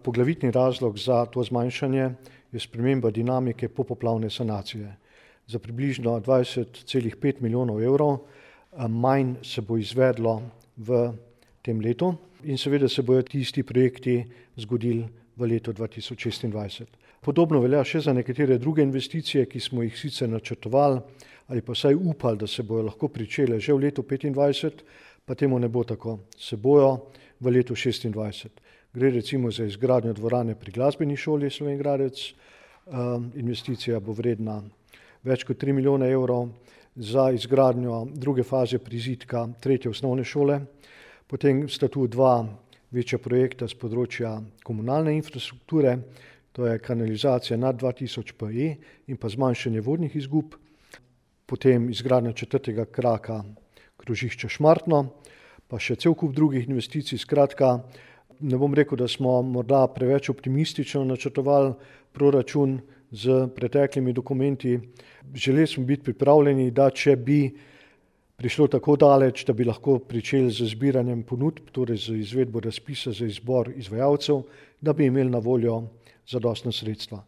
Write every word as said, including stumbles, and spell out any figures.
Poglavitni razlog za to zmanjšanje je sprememba dinamike popoplavne sanacije. Za približno dvajset celih pet milijonov evrov manj se bo izvedlo v tem letu in seveda se bodo tisti projekti zgodili v letu dva tisoč šestindvajset. Podobno velja še za nekatere druge investicije, ki smo jih sicer načrtovali ali pa vsaj upali, da se bodo lahko pričele že v letu petindvajset, pa temu ne bo tako. Se bojo v letu šestindvajset. Gre recimo za izgradnjo dvorane pri Glasbeni šoli Slovenj Gradec. Investicija bo vredna več kot tri milijone evrov, za izgradnjo druge faze prizidka tretje osnovne šole. Potem sta tu dva večja projekta z področja komunalne infrastrukture, to je kanalizacija nad dva tisoč P E in pa zmanjšanje vodnih izgub. Potem izgradnja četrtega kraka krožišča Šmartno, pa še cel kup drugih investicij. Skratka, ne bom rekel, da smo morda preveč optimistično načrtovali proračun z preteklimi dokumenti. Želeli smo biti pripravljeni, da če bi prišlo tako daleč, da bi lahko pričeli z zbiranjem ponudb, torej z izvedbo razpisa za izbor izvajalcev, da bi imeli na voljo zadostna sredstva.